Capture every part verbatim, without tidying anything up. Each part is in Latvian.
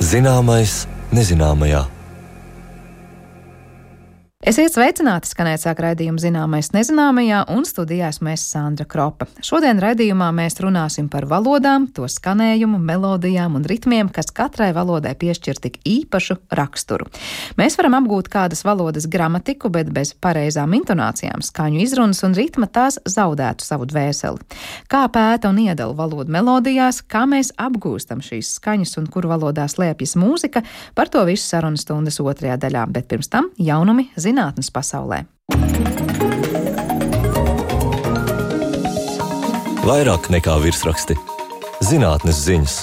Zināmais nezināmajā. Esiet sveicināti, skanēt sāk raidījumu Zināmais nezināmajā, un studijā esmu es Sandra Kropa. Šodien raidījumā mēs runāsim par valodām, to skanējumu, melodijām un ritmiem, kas katrai valodai piešķir tik īpašu raksturu. Mēs varam apgūt kādas valodas gramatiku, bet bez pareizām intonācijām, skaņu izrunas un ritma tās zaudētu savu dvēseli. Kā pēta un iedala valodu melodijās, kā mēs apgūstam šīs skaņas un kur valodā slēpjas mūzika, par to visu sarunas stundas otrajā daļā, bet pirms tam jaunumi zinātnes pasaulē. Vairāk nekā virsraksti. Zinātnes ziņas.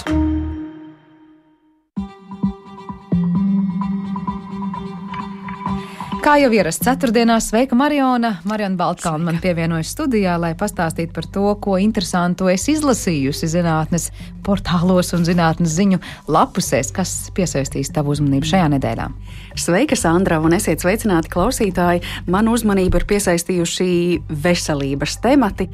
Kā jau ierasts ceturtdienās, sveika Mariona. Mariona Baltkalna man pievienojas studijā, lai pastāstītu par to, ko interesantu es izlasījusi zinātnes portālos un zinātnes ziņu lapusēs, kas piesaistīs tavu uzmanību šajā nedēļā. Sveika, Sandra, un esiet sveicināti klausītāji. Manu uzmanību ir piesaistījuši veselības temati,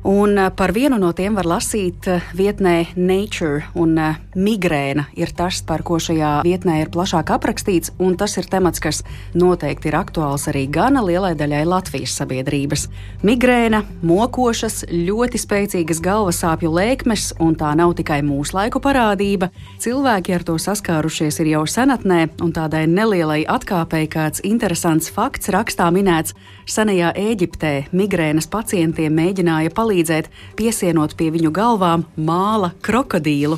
un par vienu no tiem var lasīt vietnē Nature, un migrēna ir tas, par ko šajā vietnē ir plašāk aprakstīts, un tas ir temats, kas noteikti ir aktuāls arī gana lielai daļai Latvijas sabiedrības. Migrēna, mokošas, ļoti spēcīgas galvasāpju lēkmes, un tā nav tikai mūsu laiku parādība. Cilvēki ar to saskārušies ir jau senatnē, un tādai nelielai atkāpei kāds interesants fakts rakstā minēts. Senajā Ēģiptē migrēnas pacientiem mēģināja palīdzēt, piesienot pie viņu galvām māla krokodīlu.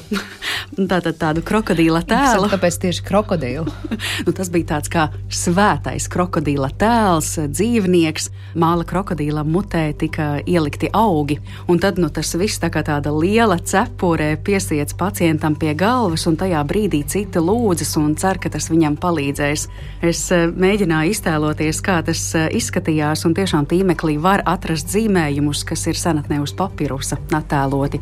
Tātad tādu krokodīla tēlu. Kāpēc tieši krokodīlu? Nu, tas bija tāds kā svētais krokodīla tēls, dzīvnieks. Māla krokodīla mutē tika ielikti augi. Un tad nu, tas viss tā kā tāda liela cepure piesiets pacientam pie galvas, un tajā brīdī citi lūdzas un cer, ka tas viņam palīdzēs. Es mēģināju iztēloties, kā tas izskatījās, un tiešām tīmeklī var atrast zīmējumus, kas ir senatnē uz papirusa attēloti.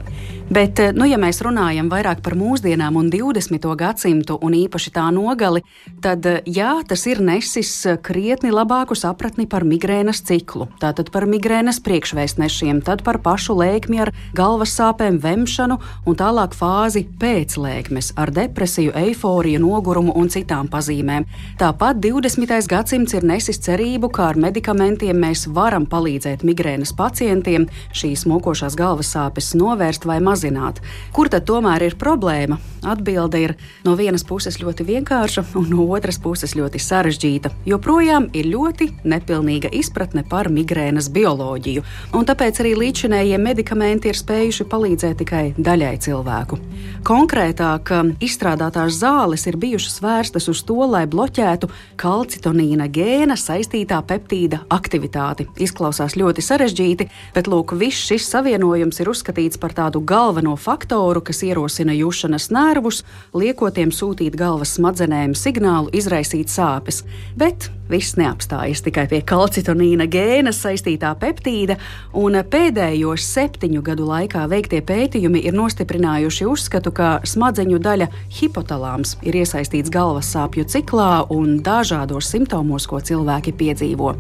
Bet, nu, ja mēs runājam vairāk par mūsdienām un divdesmito gadsimtu un īpaši tā nogali, tad, jā, tas ir nesis krietni labāku sapratni par migrēnas ciklu. Tātad par migrēnas priekšvēstnešiem, tad par pašu lēkmi ar galvas sāpēm, vemšanu un tālāk fāzi pēc lēkmes ar depresiju, eiforiju, nogurumu un citām pazīmēm. Tāpat divdesmitais gadsimts ir nesis cerību, kā ar medikamentiem mēs varam palīdzēt migrēnas pacientiem šīs mokošās galvas sāpes novērst vai mazināt. Kur tad tomēr ir problēma? Atbilde ir no vienas puses ļoti vienkārša un no otras puses ļoti sarežģīta. Joprojām ir ļoti nepilnīga izpratne par migrēnas bioloģiju, un tāpēc arī līdzinējie medikamenti ir spējuši palīdzēt tikai daļai cilvēku. Konkrētāk, izstrādātās zāles ir bijušas vērstas uz to, lai bloķētu kalcitonīna gēna saistītā peptīda aktivitāti. Izklausās ļoti sarežģīti, bet lūk, viss šis savienojums ir uzskatīts par tādu galveno faktoru, kas ierosina jušanas nervus, liekotiem sūtīt galvas smadzenēm signālu izraisīt sāpes. Bet viss neapstājas tikai pie kalcitonīna gēna saistītā peptīda, un pēdējo septiņu gadu laikā veiktie pētījumi ir nostiprinājuši uzskatu, ka smadzeņu daļa hipotalāms ir iesaistīts galvas sāpju ciklā un dažādos simptomos, ko cilvēki piedzīvo.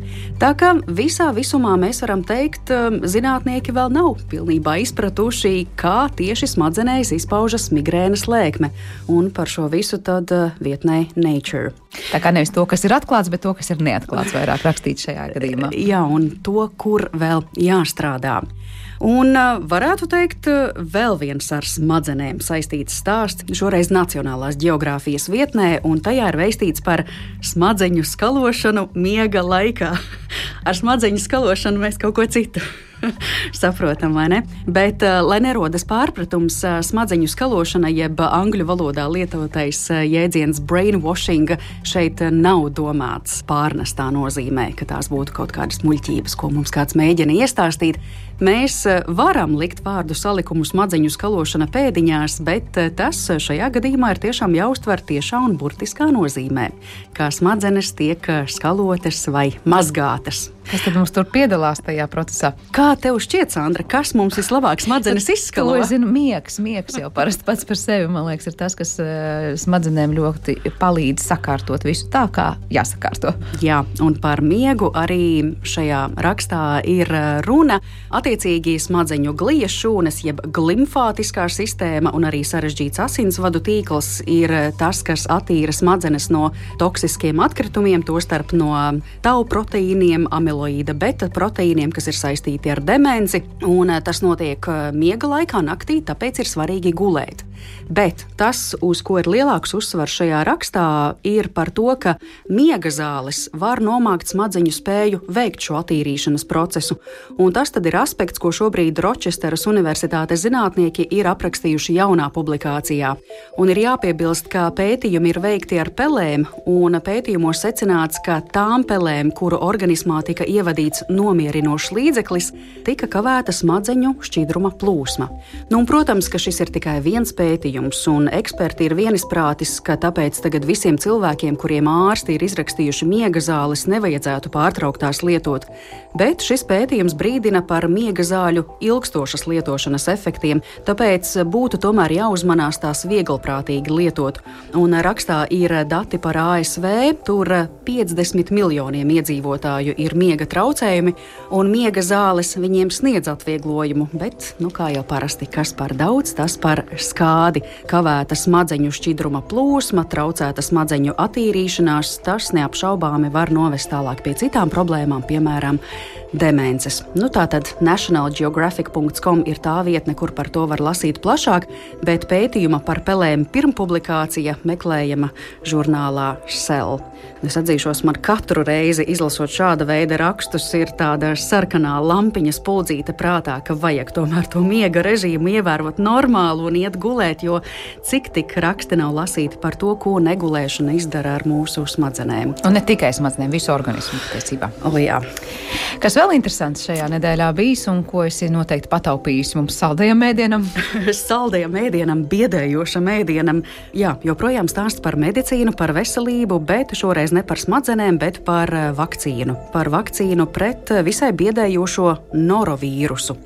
Tā kā visā visumā mēs varam teikt, zinātnieki vēl nav pilnībā izpratuši, kā tieši smadzenēs izpaužas migrēnas lēkme, un par šo visu tad vietnē Nature. Tā kā nevis to, kas ir atklāts, bet to, kas ir neatklāts, vairāk rakstīts šajā gadījumā. Jā, un to, kur vēl jāstrādā. Un varētu teikt, vēl viens ar smadzenēm saistīts stāsts, šoreiz Nacionālās ģeogrāfijas vietnē, un tajā ir veistīts par smadzeņu skalošanu miega laikā. Ar smadzeņu skalošanu mēs kaut ko citu saprotam, vai ne? Bet, lai nerodas pārpratums, smadzeņu skalošana, jeb angļu valodā lietotais jēdziens brainwashing, šeit nav domāts pārnestā nozīmē, ka tās būtu kaut kādas muļķības, ko mums kāds mēģina iestāstīt. Mēs varam likt vārdu salikumu smadzeņu skalošana pēdiņās, bet tas šajā gadījumā ir tiešām jāuztver tiešā un burtiskā nozīmē, kā smadzenes tiek skalotas vai mazgātas. Kas tad mums tur piedalās tajā procesā? Kā tev šķiet, Sandra, kas mums vislabāk smadzenes izskalo? To es zinu, miegs, miegs jau parasti pats par sevi, man liekas, ir tas, kas uh, smadzenēm ļoti palīdz sakārtot visu tā, kā jāsakārto. Jā, un par miegu arī šajā rakstā ir runa. Attiecīgi smadzeņu glijas šūnas, jeb glimfātiskā sistēma un arī sarežģīts asinsvadu tīkls ir tas, kas attīra smadzenes no toksiskiem atkritumiem, tostarp no tau proteīniem, amiloīda beta proteīniem, kas ir saistīti ar demenci, un tas notiek miega laikā naktī, tāpēc ir svarīgi gulēt. Bet tas, uz ko ir lielāks uzsvars šajā rakstā, ir par to, ka miega zāles var nomākt smadzeņu spēju veikt šo attīrīšanas procesu, un tas tad ir aspekts, ko šobrīd Ročesteras Universitātes zinātnieki ir aprakstījuši jaunā publikācijā. Un ir jāpiebilst, ka pētījumi ir veikti ar pelēm, un pētījumos secināts, ka tām pelēm, kuru organismā tika ievadīts nomierinošs līdzeklis, tika kavēta smadzeņu šķidruma plūsma. Nu, un, protams, ka šis ir tikai viens pētījums, un eksperti ir vienisprātis, ka tāpēc tagad visiem cilvēkiem, kuriem ārsti ir izrakstījuši miega zāles, nevajadzētu pārtraukt tās lietot. Bet šis pētījums brīdina par miega zāļu ilgstošas lietošanas efektiem, tāpēc būtu tomēr jāuzmanās tās vieglprātīgi lietot. Un rakstā ir dati par A S V, tur piecdesmit miljoniem iedzīvotāju ir miega traucējumi, un miega zāles viņiem sniedz atvieglojumu, bet, nu kā jau parasti, kas par daudz, tas par skādi. Kavēta smadzeņu šķidruma plūsma, traucēta smadzeņu attīrīšanās, tas neapšaubāmi var novest tālāk pie citām problēmām, piemēram, demences. Nu tātad national geographic dot com ir tā vietne, kur par to var lasīt plašāk, bet pētījuma par pelēm pirmpublikācija meklējama žurnālā Cell. Es atzīšos, man katru reizi izlasot šāda veida rakstus ir tāda sarkanā lampiņa spuldzīte prātā, ka vajag tomēr to miega režīmu ievērot normālu un iet gulēt, jo cik tik raksti nav lasīti par to, ko negulēšana izdara ar mūsu smadzenēm. Un ne tikai smadzenēm, visu organismu patiesībā. O, jā. Kas vēl interesants šajā nedēļā bijis un ko esi noteikti pataupījis mums saldajam ēdienam? Saldajam ēdienam, biedējošam ēdienam. Jā, joprojām stāsts par medicīnu, par veselību, bet šoreiz ne par smadzenēm, bet par vakcīnu. Par vakcīnu pret visai biedējošo norovīrusu.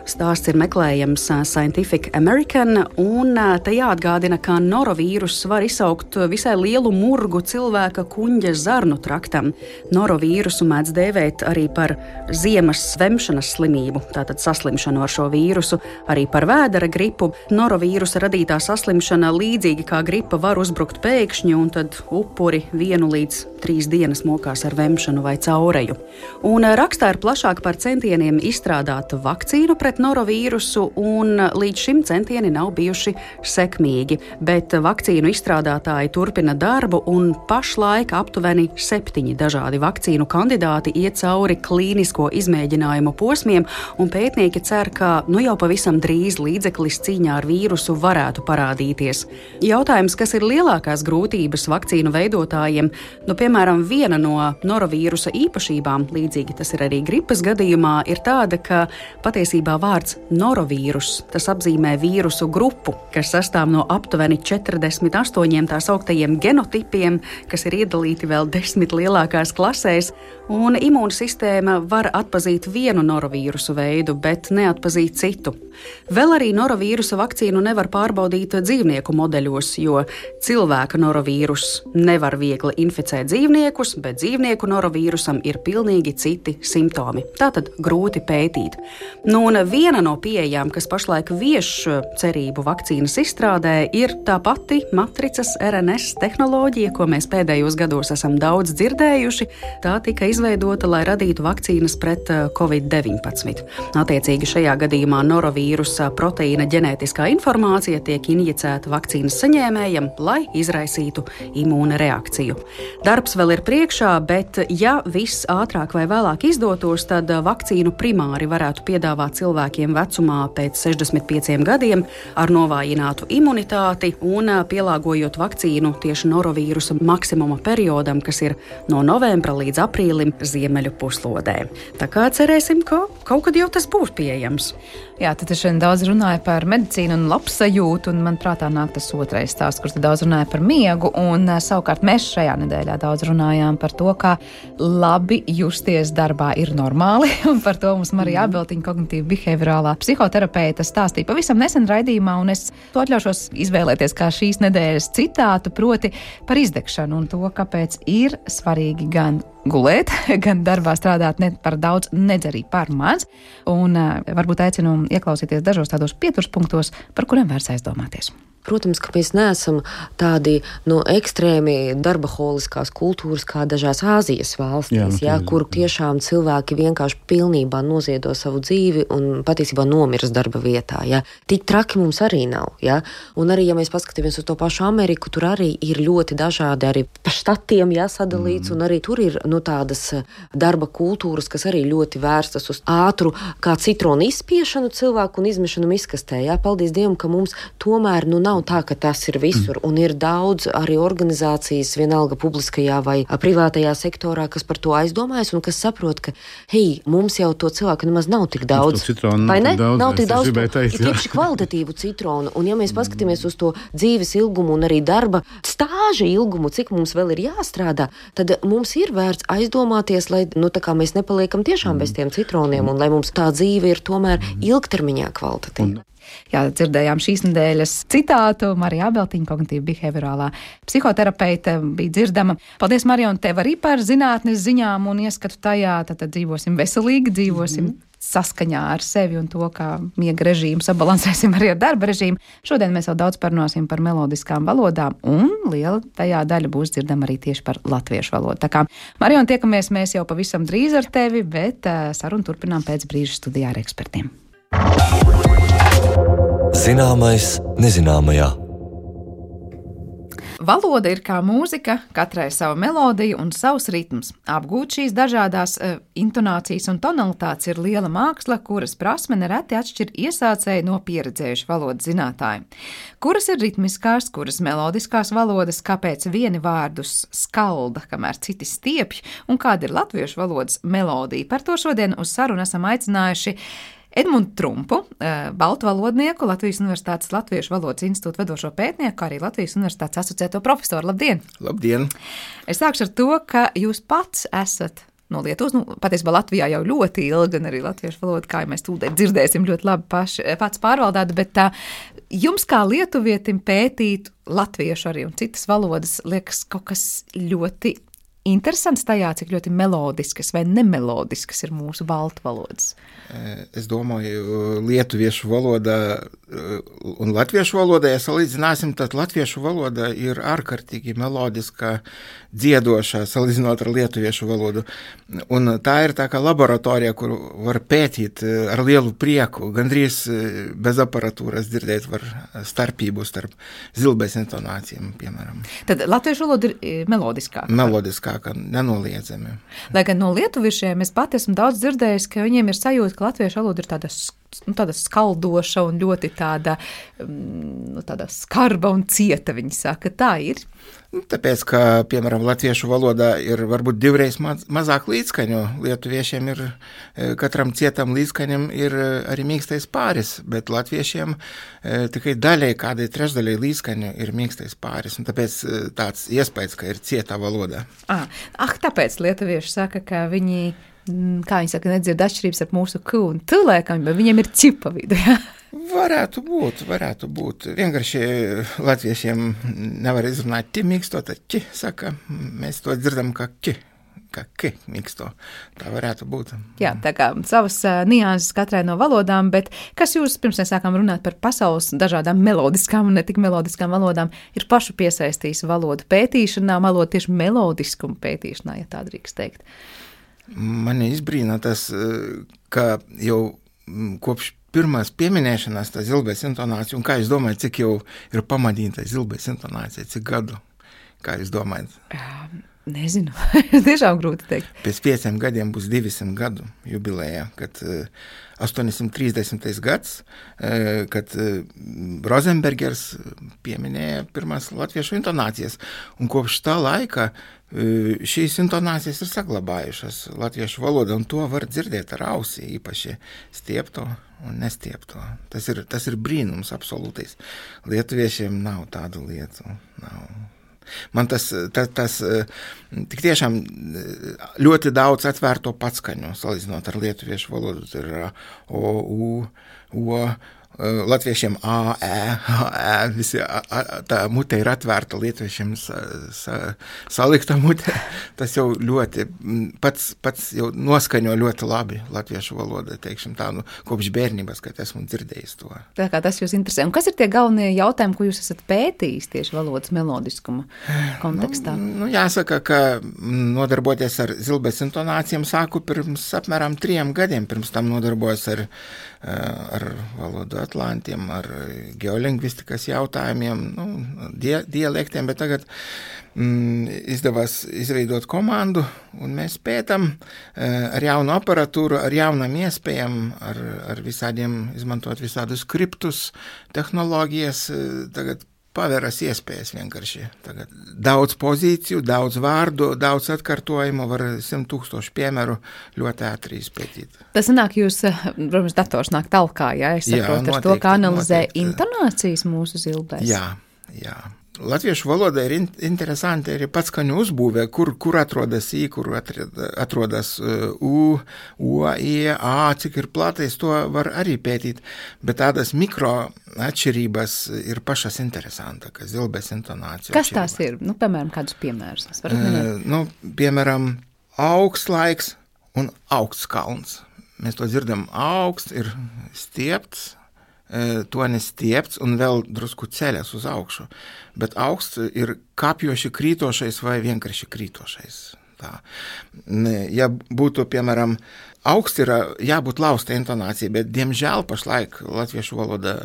Stāsts ir meklējams Scientific American, un te jāatgādina, ka norovīrus var izsaukt visai lielu murgu cilvēka kuņģa zarnu traktam. Norovīrusu mēdz dēvēt arī par ziemas svemšanas slimību, tātad saslimšanu ar šo vīrusu, arī par vēdera gripu. Norovīrusa radītā saslimšana līdzīgi kā gripa var uzbrukt pēkšņi, un tad upuri vienu līdz trīs dienas mokās ar vemšanu vai caureju. Un rakstā ir plašāk par centieniem izstrādāt vakcīnu pret norovīrusu, un līdz šim centieni nav bijuši sekmīgi, bet vakcīnu izstrādātāji turpina darbu, un pašlaik aptuveni septiņi dažādi vakcīnu kandidāti iet cauri klīnisko izmēģinājumu posmiem, un pētnieki cer, ka nu jau pavisam drīz līdzeklis cīņā ar vīrusu varētu parādīties. Jautājums, kas ir lielākās grūtības vakcīnu veidotājiem? Nu, piemēram, viena no norovīrusa īpašībām, līdzīgi tas ir arī gripas gadījumā, ir tāda, ka patiesībā vārds norovīrus, tas apzīmē vīrusu grupu, kas sastāv no aptuveni četrdesmit astoņiem tā sauktajiem genotipiem, kas ir iedalīti vēl desmit lielākās klasēs, un imūnsistēma var atpazīt vienu norovīrusu veidu, bet neatpazīt citu. Vēl arī norovīrusa vakcīnu nevar pārbaudīt dzīvnieku modeļos, jo cilvēka norovīrus nevar viegli inficēt dzīvniekus, bet dzīvnieku norovīrusam ir pilnīgi citi simptomi. Tātad grūti pētīt. Nu, un viena no pieejām, kas pašlaik vieš cerību vakcīnas izstrādē, ir tā pati matricas R N S tehnoloģija, ko mēs pēdējos gados esam daudz dzirdējuši. Tā tika izveidota, lai radītu vakcīnas pret covid deviņpadsmit. Attiecīgi šajā gadījumā norovīrusa proteīna ģenētiskā informācija tiek injicēta vakcīnas saņēmējam, lai izraisītu imūna reakciju. Darbs vēl ir priekšā, bet ja viss ātrāk vai vēlāk izdotos, tad vakcīnu primāri varētu piedāvāt cilvēkiem vecumā pēc sešdesmit pieciem gadiem ar novājinātu imunitāti un pielāgojot vakcīnu tieši norovīrusa maksimuma periodam, kas ir no novembra līdz aprīlim ziemeļu puslodē. Tā kā cerēsim, ka kaut kad jau tas būs pieejams. Jā, tad es šodien daudz runāju par medicīnu un labsajūtu, un man prātā nāk tas otrais stāsts, kur daudz runāja par miegu, un savukārt mēs šajā nedēļā daudz runājām par to, kā labi justies darbā ir normāli, un par to mums Marija Ābeltiņa, kognitīva behaviorālā psihoterapeita, stāstīja pavisam nesen raidījumā, un es to atļaušos izvēlēties kā šīs nedēļas citātu, proti par izdegšanu un to, kāpēc ir svarīgi gan gulēt, gan darbā strādāt ne par daudz, nedz arī par maz, un uh, varbūt aicinu ieklausīties dažos tādos pieturspunktos, par kuriem vērts aizdomāties. Protams, ka mēs neesam tādi no ekstrēmi darbaholiskās kultūras kā dažās Āzijas valstīs, jā, jā, kur tiešām cilvēki vienkārši pilnībā noziedo savu dzīvi un patiesībā nomiras darba vietā. Jā. Tik traki mums arī nav. Jā. Un arī, ja mēs paskatāmies uz to pašu Ameriku, tur arī ir ļoti dažādi arī pa štatiem jā, sadalīts, mm. un arī tur ir nu, tādas darba kultūras, kas arī ļoti vērstas uz ātru kā citronu izspiešanu cilvēku un izmešanu miskastē. Jā. Paldies Dievam, ka mums tomēr nu, nav Nav tā, ka tas ir visur, un ir daudz arī organizācijas, vienalga publiskajā vai privātajā sektorā, kas par to aizdomājas un kas saprot, ka, hei, mums jau to cilvēku nemaz nav tik daudz. Citronu, vai ne? Daudz, nav tik daudz, to, teikt, ir tieši kvalitatīvu citronu, un ja mēs paskatāmies uz to dzīves ilgumu un arī darba stāža ilgumu, cik mums vēl ir jāstrādā, tad mums ir vērts aizdomāties, lai, nu, tā kā mēs nepaliekam tiešām bez tiem citroniem, un lai mums tā dzīve ir tomēr ilgtermiņā kvalitatīva. Jā, dzirdējām šīs nedēļas citātu. Marija Ābeltiņa, kognitīva behaviorālā psihoterapeite, bija dzirdama. Paldies, Marija, un tev arī par zinātnes ziņām un ieskatu tajā. Tad, tad dzīvosim veselīgi, dzīvosim mm-hmm. saskaņā ar sevi un to, kā miega režīmu sabalansēsim arī ar darba režīmu. Šodien mēs vēl daudz parunāsim par melodiskām valodām, un liela tajā daļa būs dzirdama arī tieši par latviešu valodu. Tā kā, Marija, un tiekamies mēs jau pavisam drīz ar tevi, bet uh, sarunu turpinām pēc brīža studijā ar ekspertiem. Zināmais nezināmajā. Valoda ir kā mūzika, katrai sava melodija un savs ritms. Apgūt šīs dažādās uh, intonācijas un tonalitātes ir liela māksla, kuras prasme nereti atšķir iesācēji no pieredzējuši valodas zinātāji. Kuras ir ritmiskās, kuras melodiskās valodas, kāpēc vieni vārdus skalda, kamēr citi stiepj, un kāda ir latviešu valodas melodija. Par to šodien uz sarunu esam aicinājuši Edmundu Trumpu, baltu valodnieku, Latvijas Universitātes Latviešu valodas institūta vadošo pētnieku, kā arī Latvijas Universitātes asociēto profesoru. Labdien! Labdien! Es sākšu ar to, ka jūs pats esat no Lietuvas, nu, patiesībā Latvijā jau ļoti ilgi, un arī latviešu valoda, kā mēs tūlīt dzirdēsim, ļoti labi paši, pats pārvaldāt, bet tā, jums kā lietuvietim pētīt latviešu arī un citas valodas liekas kaut kas ļoti interesants tajā, cik ļoti melodiskas vai nemelodiskas ir mūsu baltu valodas. Es domāju, lietuviešu valoda un latviešu valoda, ja salīdzināsim, tad latviešu valoda ir ārkārtīgi melodiska, dziedošā, salīdzinot ar lietuviešu valodu. Un tā ir tā kā laboratorija, kur var pētīt ar lielu prieku, gandrīz bez aparatūras dzirdēt var starpību starp zilbēs intonācijām, piemēram. Tad latviešu valoda ir melodiskāka? Melodiskāka, nenoliedzami. Lai gan no lietuviešiem es pat esmu daudz dzirdējis, ka viņiem ir sajūta, ka latviešu valoda ir tāda, nu, tāda skaldoša un ļoti tāda, nu, tāda skarba un cieta, viņi saka. Tā ir? Tāpēc, ka, piemēram, latviešu valodā ir varbūt divreiz maz, mazāk līdzskaņu. Lietuviešiem ir, katram cietam līdzskaņam ir arī mīkstais pāris, bet latviešiem tikai daļai, kādai trešdaļai līdzskaņu ir mīkstais pāris. Un tāpēc tāds iespējas, ka ir cietā valodā. Ah, ah, tāpēc lietuvieši saka, ka viņi, kā viņi saka, nedzird atšķirības ar mūsu ku un tu lēkam, bet viņiem ir cipa vidu, jā? Varētu būt, varētu būt. Vienkārši latviešiem nevar izrunāt ti mīksto, tad ķi saka, mēs to dzirdam kā ki, kā ki mīksto. Tā varētu būt. Jā, tā kā savas uh, nianses katrai no valodām, bet kas jūs, pirms mēs sākām runāt par pasaules dažādām melodiskām un ne tik melodiskām valodām, ir pašu piesaistījis valodu pētīšanā, valodu tieši melodiskumu pētīšanā, ja tā drīkst teikt? Mani izbrīna tas, ka jau kopš pirmās pieminēšanās tā zilbēs intonācija, un kā jūs domājat, cik jau ir pamanīta zilbēs intonācija, cik gadu, kā jūs domājat? Nezinu, tiešām grūti teikt. Pēc pieciem gadiem būs divsimt gadu jubilejā, kad astoņsimt trīsdesmitais gads, kad Rozenbergers pieminēja pirmās latviešu intonācijas, un kopš tā laika šīs intonācijas ir saglabājušas latviešu valodā, un to var dzirdēt ar ausī, īpaši stiepto un nestiepto. Tas ir, tas ir brīnums absolūtais. Lietuviešiem nav tādu lietu, nav. Man tas, tas, tas tik tiešām ļoti daudz atvērto patskaņu, salīdzinot ar lietuviešu valodu. Tur ir o, u, o, latviešiem a, ē, a, ē, visi, a, a, tā mute ir atvērta, lietuviešiem sa, sa, salikta mute. Tas jau ļoti, pats, pats jau noskaņo ļoti labi latviešu valodu, teikšam tā, nu, kopš bērnības, kad esmu dzirdējis to. Tā kā tas jūs interesē. Un kas ir tie galvenie jautājumi, ko jūs esat pētījis tieši valodas melodiskuma kontekstā? Nu, nu, jāsaka, ka nodarboties ar zilbes intonācijām sāku pirms apmēram trijiem gadiem, pirms tam nodarbojos ar, ar valodu atlantiem, ar geolingvistikas jautājumiem, nu, die, dialektiem, bet tagad mm, izdevās izveidot komandu, un mēs pētam ar jaunu aparatūru, ar jaunām iespējām, ar, ar visādiem, izmantot visādus skriptus, tehnoloģijas, tagad paveras iespējas vienkārši. Tagad daudz pozīciju, daudz vārdu, daudz atkārtojumu, var simt tūkstošu piemēru ļoti ātri izpētīt. Tas sanāk, jūs, protams, dators nāk talkā, ja es saprotu, jā, noteikti, ar to, kā analizē noteikti. Intonācijas mūsu zilbēs. Jā, jā. Latviešu valoda ir in, interesanti arī patskaņu uzbūvē, kur, kur atrodas I, kur atrodas U, O, I, A, cik ir platais, to var arī pētīt, bet tādas mikro atšķirības ir pašas interesanta, ka zilbes intonācija. Kas tās ir? Nu, piemēram, kādus piemērus? Uh, nu, piemēram, augsts laiks un augsts kalns. Mēs to dzirdam, augsts ir stiepts, tonis stiepts un vēl drusku ceļas uz augšu, bet augsts ir kāpjoši krītošais vai vienkārši krītošais. Tā. Ja būtu, piemēram, augsts ir jābūt lausta intonācija, bet, diemžēl, pašlaik latviešu valoda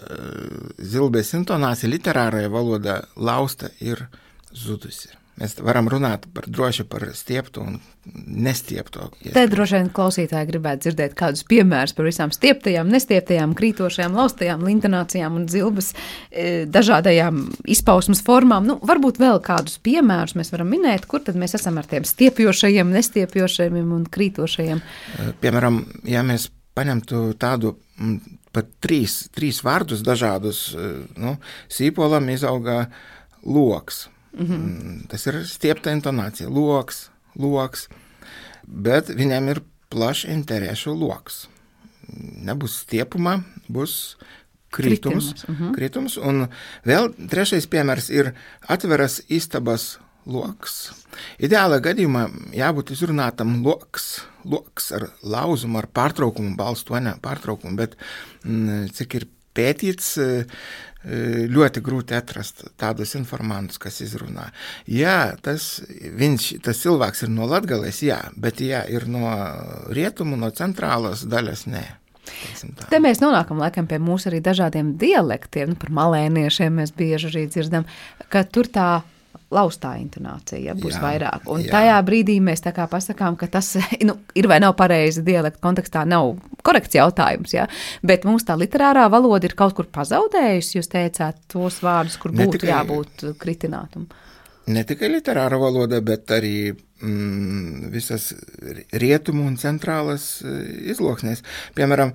zilbes intonācija, literārajā valoda lausta ir zudusi. Mēs varam runāt par droši par stieptu un nestieptu. Te droši vien klausītāji gribētu dzirdēt kādus piemērus par visām stieptajām, nestieptajām, krītošajām, laustajām intonācijām un zilbes e, dažādajām izpausmas formām. Nu, varbūt vēl kādus piemērus mēs varam minēt, kur tad mēs esam ar tiem stiepjošajiem, nestiepjošajiem un krītošajiem. Piemēram, ja mēs paņemtu tādu pat trīs, trīs vārdus dažādus, nu, sīpolam izauga loks. Mm-hmm. Tas ir stiepta intonācija, loks, loks, bet viņam ir plašs interešu loks. Nebūs stiepuma, būs kritums, mm-hmm. kritums, un vēl trešais piemērs ir atveras istabas loks. Ideālā gadījumā jābūt izrunātam loks, loks ar lauzumu, ar pārtraukumu, balstu, vai ne, pārtraukumu, bet m, cik ir pētīts, ļoti grūti atrast tādus informantus, kas izrunā. Jā, tas, viņš, tas cilvēks ir no Latgales, jā, bet jā, ir no rietumu, no centrālas daļas, nē. Te mēs nonākam laikam pie mūsu arī dažādiem dialektiem, nu, par malēniešiem mēs bieži arī dzirdam, ka tur tā laustā intonācija, ja, būs jā, vairāk. Un jā. Tajā brīdī mēs tā kā pasakām, ka tas nu, ir vai nav pareizi dialekta kontekstā, nav korekts jautājums, ja, bet mums tā literārā valoda ir kaut kur pazaudējusi, jūs teicāt tos vārdus, kur būtu tikai, jābūt kritinātum. Ne tikai literāra valoda, bet arī mm, visas rietumu un centrālas izloksnēs. Piemēram,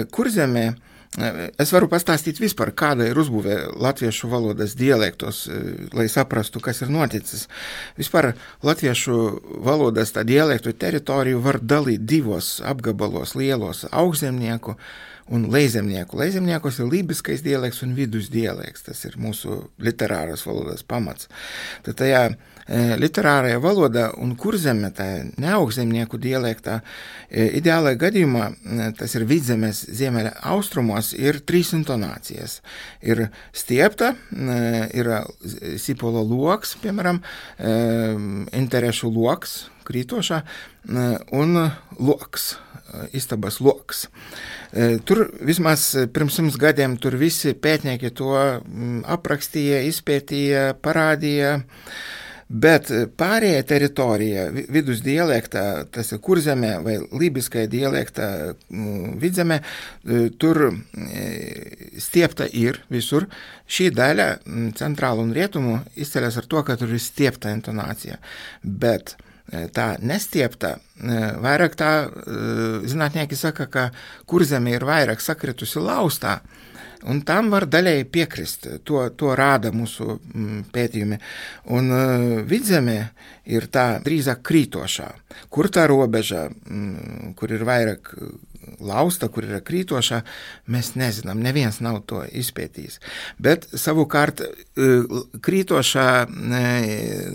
Kurzemē es varu pastāstīt vispār, kāda ir uzbūvē latviešu valodas dialektos, lai saprastu, kas ir noticis. Vispār latviešu valodas tā dialektu teritoriju var dalīt divos apgabalos lielos - augšzemnieku un leizemnieku. Leizemniekos ir lībiskais dialekts un vidus dialekts. Tas ir mūsu literāras valodas pamats. Tad tajā e, literārajā valodā un kurzemē, tā neaugšzemnieku dialektā, e, ideālajā gadījumā, e, tas ir vidzemes ziemeļa austrumos, ir trīs intonācijas. Ir stiepta, e, ir sipola loks, piemēram, e, interešu loks, krītošā, e, un loks, istabas loks. Tur vismaz pirms simts gadiem tur visi pētnieki to aprakstīja, izpētīja, parādīja, Bet pārējā teritorija, vidus dialektā, tas ir Kurzemē vai lībiskajā dialektā Vidzemē, tur stiepta ir visur. Šī daļa centrālu un rietumu izceļas ar to, ka tur ir stiepta intonācija. Bet tā nestiepta, vairāk tā, zinātnieki saka, ka Kurzeme ir vairāk sakritusi laustā, un tam var daļēji piekrist, to, to rāda mūsu pētījumi. Un Vidzeme ir tā drīzāk krītošā, kur tā robeža, kur ir vairāk lausta, kur ir krītošā, mēs nezinām, neviens nav to izpētījis. Bet savukārt krītošā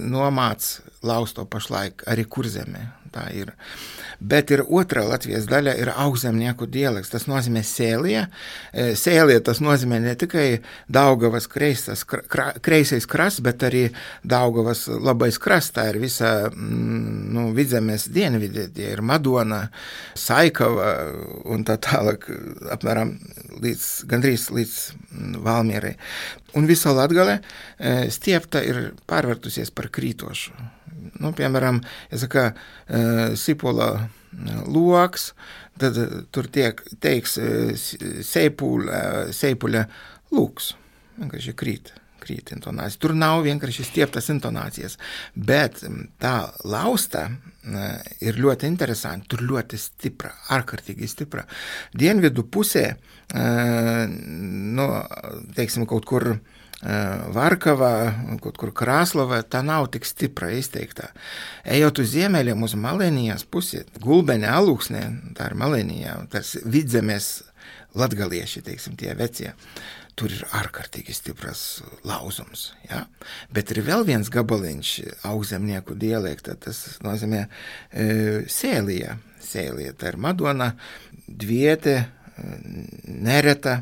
nomāc lausto pašlaik arī Kurzemē, tā ir. Bet ir otrā Latvijas daļa, ir augzemnieku dialekts, tas nozīmē sēlie. Sēlie tas nozīmē ne tikai Daugavas kreisas, kreisais krasts, bet arī Daugavas labais krasts, tā ir visa nu, Vidzemes dienvidē, tie ir Madona, Saikava un tā tālāk, apmēram līdz, gandrīz līdz Valmierai. Un visa Latgale stiepta ir pārvērtusies par krītošu. Nu, piemēram, ja saka, Sipola loks, tad tur tiek, teiks seipuļa, seipuļa lūks. Vienkārši krīt, krīt intonācija. Tur nav vienkārši stieptas intonācijas, bet tā lausta ir ļoti interesanti, tur ļoti stipra, ārkārtīgi stipra. Dienvidu pusē, nu, teiksim, kaut kur Varkava, kaut kur Krāslava, tā nav tik stipra izteiktā. Ejot uz ziemeļiem, uz Malenijas pusi, Gulbeņa alūksnē, tā ir Malenijā, tas Vidzemes latgalieši, teiksim, tie vecie, tur ir ārkārtīgi stipras lauzums, ja? Bet ir vēl viens gabaliņš augzemnieku dialekta, tas nozīmē e, sēlija, sēlija, tā ir Madona, Dviete, Nereta,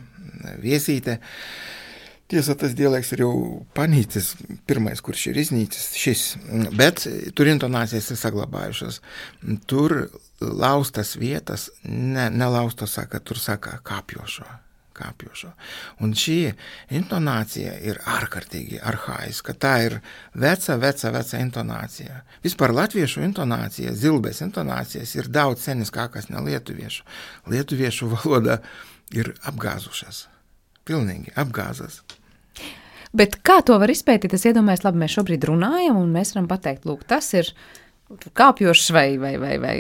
Viesīte. Tiesa, tas dialekts ir jau panīcis, pirmais, kurš ir iznīcis, šis, bet tur intonācijas ir saglabājušas. Tur laustas vietas, ne, ne laustas saka, tur saka kāpjošo, kāpjošo. Un šī intonācija ir ārkārtīgi arhaiska, tā ir veca, veca, veca intonācija. Vispār latviešu intonācija, zilbes intonācijas ir daudz seniskākas ne lietuviešu. Lietuviešu valoda ir apgāzušas. Pilnīgi apgāzas. Bet kā to var izpētīt? Es iedomājos, labi, mēs šobrīd runājam, un mēs varam pateikt, lūk, tas ir kāpjošs vai, vai, vai, vai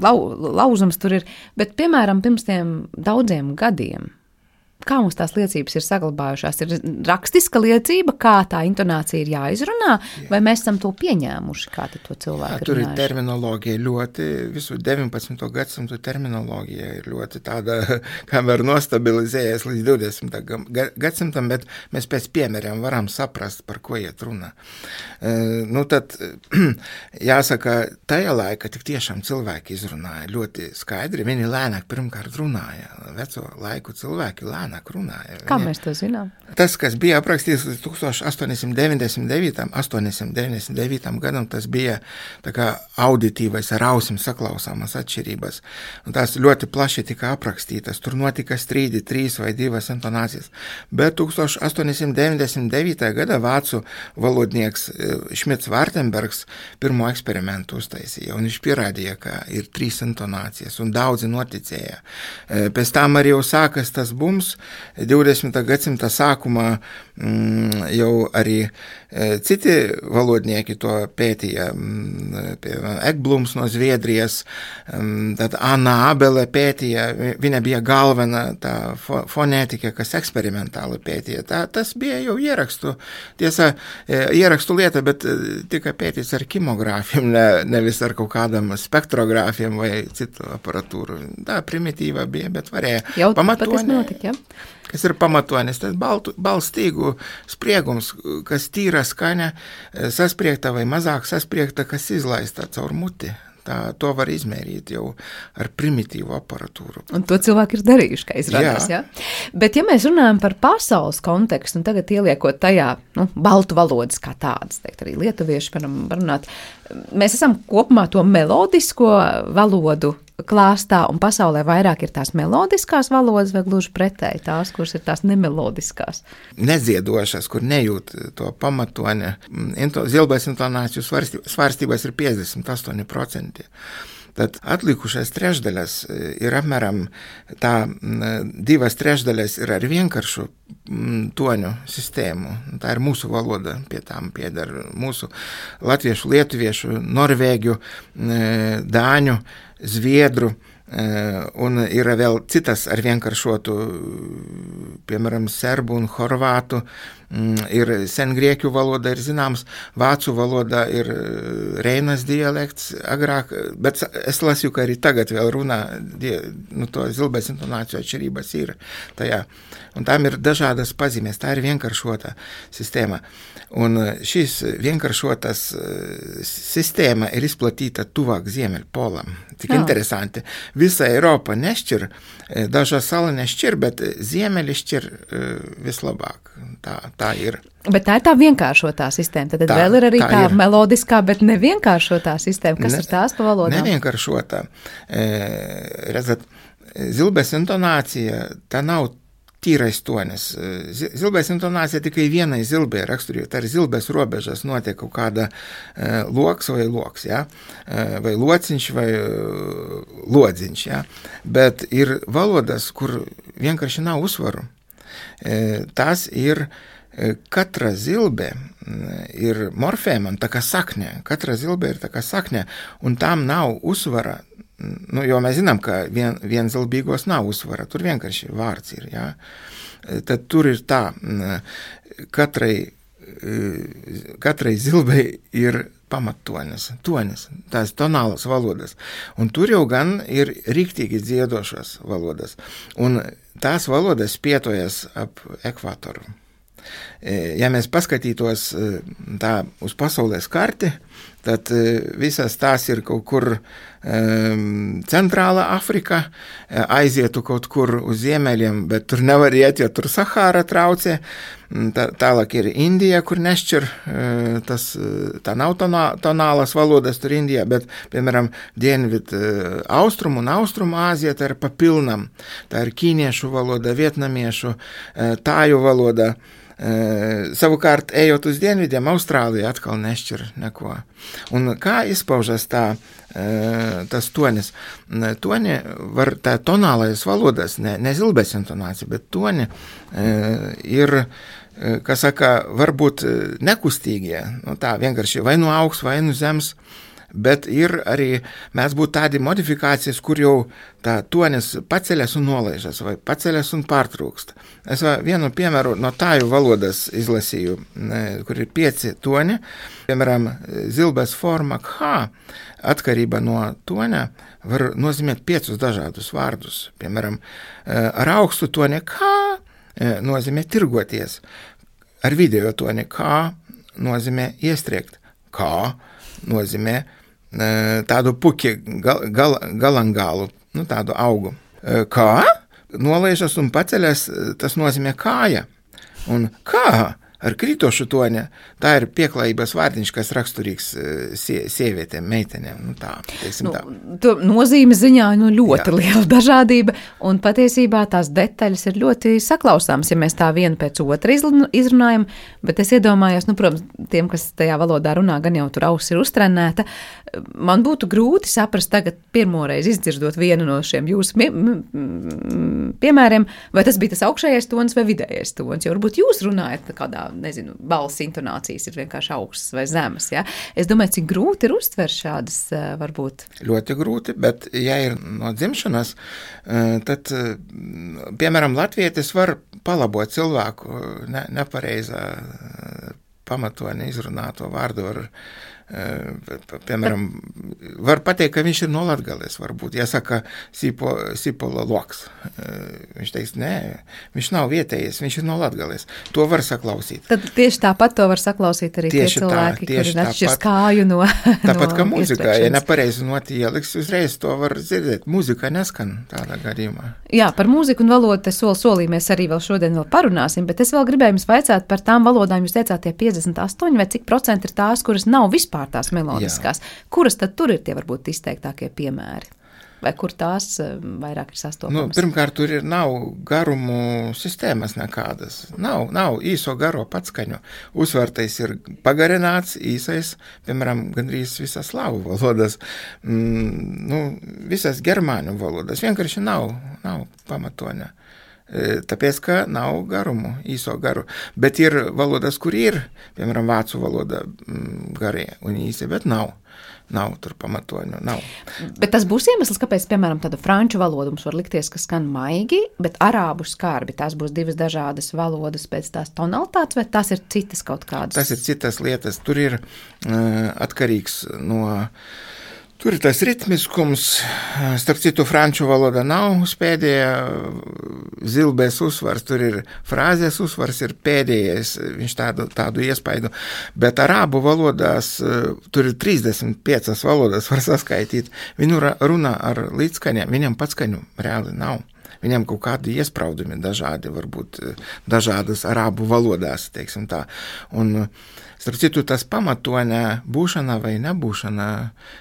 lau, lauzums tur ir. Bet, piemēram, pirms tiem daudziem gadiem, kā mums tās liecības ir saglabājušās? Ir rakstiska liecība, kā tā intonācija ir jāizrunā, Jā. Vai mēs esam to pieņēmuši, kā to cilvēku Jā, tur runājuši? Ir terminoloģija ļoti, visu deviņpadsmito gadsimtu terminoloģija ir ļoti tāda, kā var nostabilizējies līdz divdesmitajam gadsimtam, bet mēs pēc piemēriem varam saprast, par ko iet runa. Uh, nu tad, jāsaka, tajā laikā tik tiešām cilvēki izrunāja ļoti skaidri, viņi lēnāk pirmkārt runāja, veco laiku cilvēki lēnāk runāja. Kā mēs to zinām? Tas, kas bija aprakstīts līdz tukstāš astoņsimt deviņdesmit devītam gadam, tas bija tā kā auditīvais ar ausim saklausāmas atšķirības. Un tās ļoti plaši tika aprakstītas. Tur notika strīdi, trīs vai divas intonācijas. Bet tukstāš astoņsimt deviņdesmit devītajā gadā vācu valodnieks Šmits Vārtenbergs pirmo eksperimentu uztaisīja. Un viņš pierādīja, ka ir trīs intonācijas un daudzi noticēja. Pēc tam arī jau sākas tas bums. divdesmitā gadsimta sākumā mm, jau arī e, citi valodnieki to pētīja. Mm, Ekblums no Zviedrijas, mm, tad Anna Abele pētīja, viņa bija galvena tā fo, fonētika, kas eksperimentāli pētīja. Tā, tas bija jau ierakstu, tiesa, e, ierakstu lieta, bet tikai pētīts ar kimogrāfiem, ne, nevis ar kaut kādam spektrogrāfiem vai citu aparatūru. Tā primitīva bija, bet varēja jau pamatot. Notika, ja? Kas ir pamatonis, tas balstīgu spriegums, kas tīra skaņa, saspriegta vai mazāk saspriegta, kas izlaista caur muti. Tā, to var izmērīt jau ar primitīvu aparatūru. Un to cilvēki ir darījuši, kā izrādās, jā. Ja? Bet ja mēs runājam par pasaules kontekstu, un tagad ieliekot tajā, nu, baltu valodas kā tādas, teikt, arī lietuvieši varam runāt, mēs esam kopumā to melodisko valodu klāstā un pasaulē vairāk ir tās melodiskās valodas vai gluži pretēji tās, kuras ir tās nemelodiskās? Nedziedošas, kur nejūt to pamatoni. Zilbais intonāciju svārstības ir piecdesmit astoņi procenti. Tad atlikušais trešdaļas ir apmēram tā divas trešdaļas ir ar vienkāršu toņu sistēmu. Tā ir mūsu valoda, pie tām pieder mūsu latviešu, lietuviešu, norvēģu, dāņu, zviedru, un ir vēl citas ar vienkāršotu, piemēram, serbu un horvātu, ir sengrieķu valoda, ir zināms, vācu valoda ir Reinas dialekts agrāk, bet es lasīju, ka arī tagad vēl runā, nu, to zilbais intonāciju atšķirības ir tajā. Un tām ir dažādas pazīmes, tā ir vienkāršota sistēma. Un šīs vienkāršotas sistēma ir izplatīta tuvāk Ziemeļpolam. Tik Jā. Interesanti. Visa Eiropa nešķir, dažas sala nešķir, bet Ziemeļi šķir vislabāk. Tā, tā ir. Bet tā ir tā vienkāršotā sistēma. Tad tā, vēl ir arī tā, tā ir. melodiskā, bet nevienkāršotā sistēma. Kas ne, ir tās pa valodām? Nevienkāršotā. E, redzat, zilbais intonācija, tā nav tīrais tonis. Zilbais intonācija tikai vienai zilbē raksturīja. Tā ir zilbēs robežas notiek kaut kāda uh, loks vai loks, ja? uh, vai lociņš vai uh, lodziņš. Ja? Bet ir valodas, kur vienkārši nav uzsvaru. Uh, tās ir uh, katra zilbē ir morfēma, tā kā sakņa. Katra zilbē ir tā kā sakņa, un tam nav uzsvara. Nu, jo mēs zinām, ka vien, vienzilbīgos nav uzsvara, tur vienkārši vārds ir, jā. Tad tur ir tā, katrai, katrai zilbei ir pamattonis, tonis, tās tonālas valodas. Un tur jau gan ir riktīgi dziedošas valodas. Un tās valodas pietojas ap ekvatoru. Ja mēs paskatītos tā uz pasaules karti, tad visas tās ir kaut kur um, centrāla Afrika, aizietu kaut kur uz ziemeļiem, bet tur nevar iet, jo tur Sahāra traucē. Tā, tālāk ir Indija, kur nešķir, tas, tā nav tonā, tonālas valodas tur Indijā, bet, piemēram, dienvid austrumu un austrumu Āzija, tā ir papilnam. Tā ir ķīniešu valoda, vietnamiešu, tāju valoda. Uh, savukārt, ejot uz dienvidiem, Austrālija atkal nešķir neko. Un kā izpaužas tā, uh, tas tonis? Toni var, tā tonālais valodas, ne, ne zilbēs intonācija, bet toni uh, ir, uh, kā saka, varbūt nekustīgie. Nu, tā vienkārši vai no augsts, vai no zemes. Bet ir arī, mēs būtu tādi modifikācijas, kur jau tā tonis paceļas un nolaižas, vai paceļas un pārtrūkst. Es vienu piemēru no tāju valodas izlasīju, kur ir pieci toni, piemēram, zilbes forma H, atkarība no toņa, var nozīmēt piecus dažādus vārdus. Piemēram, ar augstu toni K nozīmē tirgoties, ar video toni K nozīmē iestriekt, K nozīmē tādu puki gal, gal, galangālu, nu tādu augu. Kā? Nolaižas un paceļas, tas nozīmē kāja. Un kā? Ar krītošu toņa, tā ir pieklājības vārdiņš, kas raksturīgs sie, sievietēm, meitenēm. Nu tā, teiksim nu, tā. To nozīme ziņā nu, ļoti Jā. liela dažādība, un patiesībā tās detaļas ir ļoti saklausāmas, ja mēs tā vienu pēc otra izrunājam, bet es iedomājos, nu, protams, tiem, kas tajā valodā runā, gan jau tur auss ir uztrenēta, man būtu grūti saprast tagad pirmoreiz izdzirdot vienu no šiem jūsu pie, piemēriem, vai tas bija tas augšējais tons vai vidējais tons, jo varbūt jūs runājat kādā nezinu, balss intonācijas ir vienkārši augstas vai zemes, ja? Es domāju, cik grūti ir uztvert šādas, varbūt. Ļoti grūti, bet ja ir no dzimšanas, tad, piemēram, latvietis var palabot cilvēku ne, nepareizā pamatoni izrunāto vārdu ar piemēram, var pateikt, ka viņš ir no Latgales, varbūt. Ja saka sipo, sipola loks, viņš teiks, nē, viņš nav vietējais, viņš ir no Latgales. To var saklausīt. Tad tieši tāpat to var saklausīt arī tieši tie cilvēki, tā, kuri atšķirs kāju no Tāpat no kā mūzikā, ja nepareizi noti ieliks, uzreiz to var dzirdēt. Mūzika neskan tādā gadījumā. Jā, par mūziku un valodu te soli solī mēs arī vēl šodien vēl parunāsim, bet es vēl gribēju jums vaicāt par tām valodām, jūs teicāt tie piecdesmit astoņi, vai cik procenti ir tās, kuras nav vispār tās melodiskās. Jā. Kuras tad tur ir tie varbūt izteiktākie piemēri? vai kur tās vairāk ir sastopamas? Nu, pirmkārt, tur ir nav garumu sistēmas nekādas. Nav, nav īso garo patskaņu. Uzsvartais ir pagarināts, īsais, piemēram, gandrīz visas slāvu valodas, mm, nu, visas germāņu valodas. Vienkārši nav, nav pamatoņa. Tāpēc, ka nav garumu, īso garu. Bet ir valodas, kur ir, piemēram, vācu valoda garie un īsi, bet nav. Nav tur pamatoņu, nav. Bet tas būs iemesls, kāpēc, piemēram, tāda franču valoda mums var likties, ka skan maigi, bet arābu skarbi, tās būs divas dažādas valodas pēc tās tonalitātes, vai tās ir citas kaut kādas? Tas ir citas lietas. Tur ir uh, atkarīgs no... Tur ir tas ritmiskums, starp citu, franču valoda nav pēdējā zilbēs uzsvars, tur ir frāzes uzsvars, ir pēdējais, viņš tādu, tādu iespaidu, bet arābu valodās, tur ir trīsdesmit piecas valodas, var saskaitīt, viņu runā ar līdzskaņiem, viņam patskaņu reāli nav. Viņam kaut kādi iespraudumi dažādi, varbūt dažādas arābu valodās, teiksim tā. Un, starp citu, tas pamatoņa būšana vai nebūšana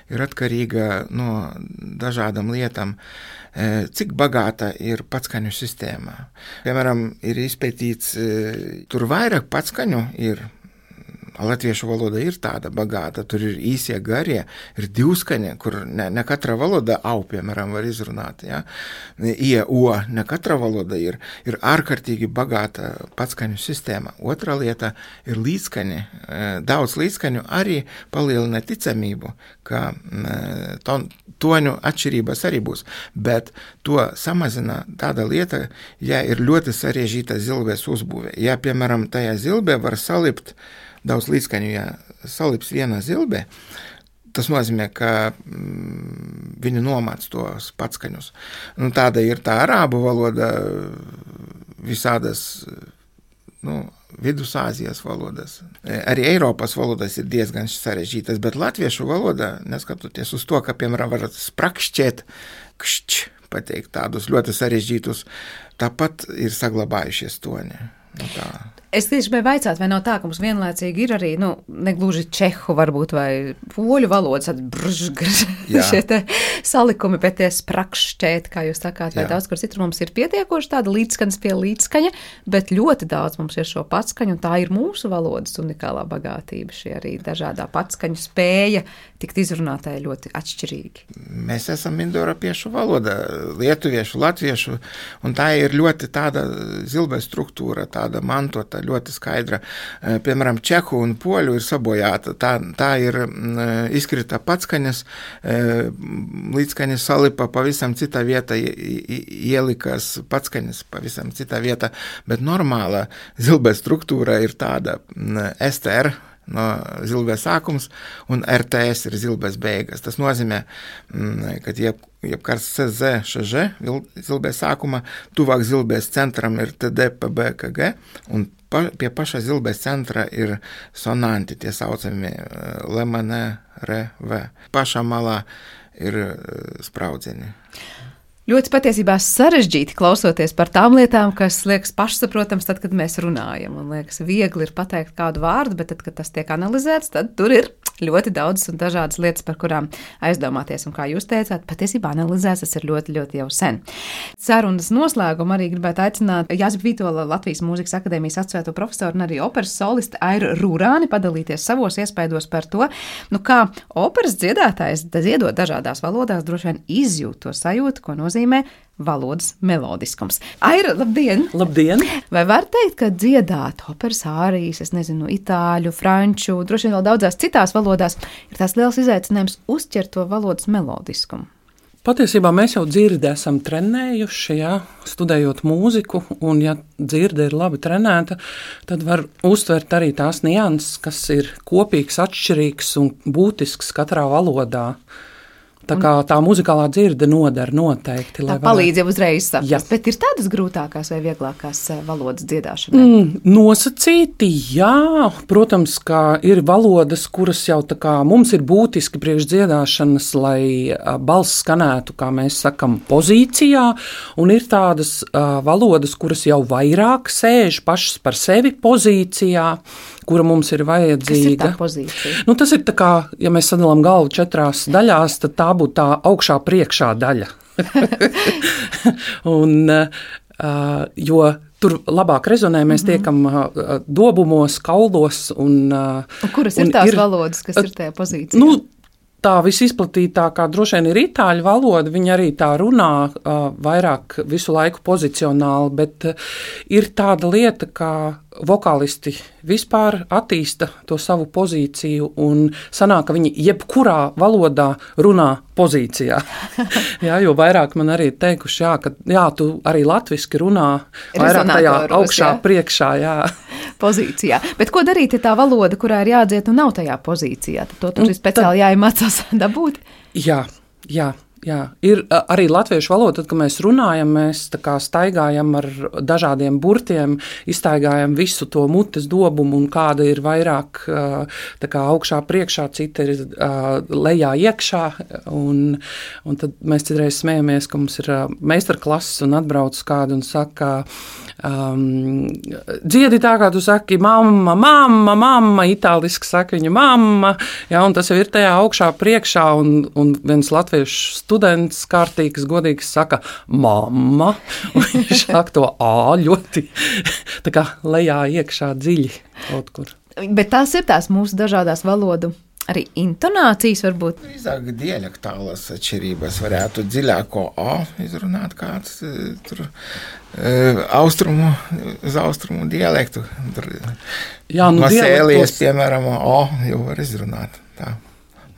ir atkarīga no dažādām lietām, cik bagāta ir patskaņu sistēma. Piemēram, ir izpētīts, tur vairāk patskaņu ir. Latviešu valoda ir tāda bagāta, tur ir īsie garie, ir divskaņi, kur ne, ne katra valoda au, piemēram, var izrunāt, ja? Ie, o, ne katra valoda ir, ir ārkārtīgi bagāta patskaņu sistēma. Otra lieta ir līdzskaņi, daudz līdzskaņu arī palielina ticamību, ka ton, toņu atšķirības arī būs, bet to samazina tāda lieta, ja ir ļoti sarežģīta zilbes uzbūve. Ja, piemēram, tajā zilbē var salipt daudz līdzskaņu, ja salips viena zilbe, tas nozīmē, ka mm, viņi nomāc tos patskaņus. Nu, tāda ir tā arābu valoda, visādas, nu, Vidusāzijas valodas. Arī Eiropas valodas ir diezgan sarežģītas, bet latviešu valoda, neskatoties uz to, ka, piemēram, var sprakšķēt, kšķ, pateikt tādus ļoti sarežģītus, tāpat ir saglabājušies toņi. Nu, tā. Es tieši gribēju vaicāt, vai nav tā, ka mums vienlaicīgi ir arī, nu, negluži čehu varbūt vai poļu valodas, tādi brž, šie te salikumi, bet tie sprakšķēt, kā jūs sakāt, vai Jā. Daudz, kur citur mums ir pietiekoši tāda līdzskaņas pie līdzskaņa, bet ļoti daudz mums ir šo patskaņu, un tā ir mūsu valodas unikālā bagātība, šie arī dažādā patskaņu spēja tikt izrunātāji ļoti atšķirīgi. Mēs esam indoeiropiešu valoda, lietuviešu, latviešu, un tā ir ļoti tāda zilbē struktūra, tāda mantota, ļoti skaidra. Piemēram, čehu un poļu ir sabojāta. Tā, tā ir izkrita patskaņas, līdzskaņas salipa pavisam citā vieta, ielikas patskaņas pavisam citā vieta, bet normāla zilbē struktūra ir tāda S T R, no zilbēs sākums, un R T S ir zilbēs beigas. Tas nozīmē, ka jeb, jebkārt C Z, Š Ž, zilbēs sākuma, tuvāk zilbēs centram ir T D, P B, K G, un pa, pie paša zilbēs centra ir sonanti, tie saucami L, M, N, R, V. Pašā malā ir spraudzieni. Ļoti patiesībā sarežģīti klausoties par tām lietām, kas liekas pašsaprotams tad, kad mēs runājam. Un liekas, viegli ir pateikt kādu vārdu, bet tad, kad tas tiek analizēts, tad tur ir ļoti daudz un dažādas lietas, par kurām aizdomāties. Un kā jūs teicāt, patiesībā analizēts tas ir ļoti, ļoti jau sen. Sarunas noslēgumu arī gribētu aicināt Jāzepa Vītola Latvijas Mūzikas akadēmijas asociēto profesoru un arī operas solisti Airu Rūrāni padalīties savos iespaidos par to, nu kā operas dziedātājs dziedot dažādās valodās droši vien izjūt to sajūtu, ko nozīmē valodas melodiskums. Aira, labdien! Labdien! Vai var teikt, ka dziedāt operas ārijas, es nezinu, itāļu, franču, droši vien vēl daudzās citās valodās, ir tās liels izaicinājums uzķert to valodas melodiskumu? Patiesībā mēs jau dzirdi esam trenējuši, ja, studējot mūziku, un ja dzirde ir labi trenēta, tad var uztvert arī tās nianses, kas ir kopīgs, atšķirīgs un būtisks katrā valodā. Tā kā tā muzikālā dzirde nodara noteikti. Tā palīdz jau uzreiz saprast, bet ir tādas grūtākās vai vieglākās valodas dziedāšanai? Mm, nosacīti, jā. Protams, ka ir valodas, kuras jau tā kā mums ir būtiski priekš dziedāšanas, lai balss skanētu, kā mēs sakam, pozīcijā, un ir tādas uh, valodas, kuras jau vairāk sēž pašas par sevi pozīcijā, kura mums ir vajadzīga. Kas ir tā pozīcija? Nu, tas ir tā kā, ja mēs sadalām galvu četrās daļās, tad tā tā būtu tā augšā priekšā daļa. un, uh, jo tur labāk rezonē, mēs tiekam uh, dobumos, kaulos. Un, uh, un kuras un ir tās ir, valodas, kas uh, ir tajā pozīcijā? Nu, tā visizplatītākā droši vien ir itāļu valoda, viņa arī tā runā uh, vairāk visu laiku pozicionāli, bet uh, ir tāda lieta, kā vokālisti vispār attīsta to savu pozīciju un sanāk, ka viņi jebkurā valodā runā pozīcijā. jā, jo vairāk man arī teikuši, jā, ka jā, tu arī latviski runā vairāk tajā augšā, jā. priekšā, jā. Pozīcijā. Bet ko darīt, ja tā valoda, kurā ir jādzied, un nav tajā pozīcijā? Tad to tur ir speciāli jāiemācās dabūt? Jā, jā. Jā, ir arī latviešu valoda, tad, kad mēs runājam, mēs tā kā staigājam ar dažādiem burtiem, izstaigājam visu to mutes dobumu, un kāda ir vairāk tā kā augšā priekšā, cita ir lejā iekšā, un, un tad mēs citreiz smējamies, ka mums ir meistarklases un atbrauc kādu un saka, um, dziedi tā, kā tu saki, mamma, mamma, mamma, itāliski saka viņa mamma, jā, un tas jau ir tajā augšā priekšā, un, un viens latviešu students kārtīgs, godīgs saka mamma, un viņš saka to ā ļoti tā kā lejā iekšā dziļi kaut kur. Bet tās ir tās mūsu dažādās valodu arī intonācijas varbūt? Drīzāk dialektālas atšķirības varētu dziļāko ā izrunāt kāds tur austrumu, uz austrumu dialektu. Tur Jā, nu Masēlies, piemēram, ā jau var izrunāt tā.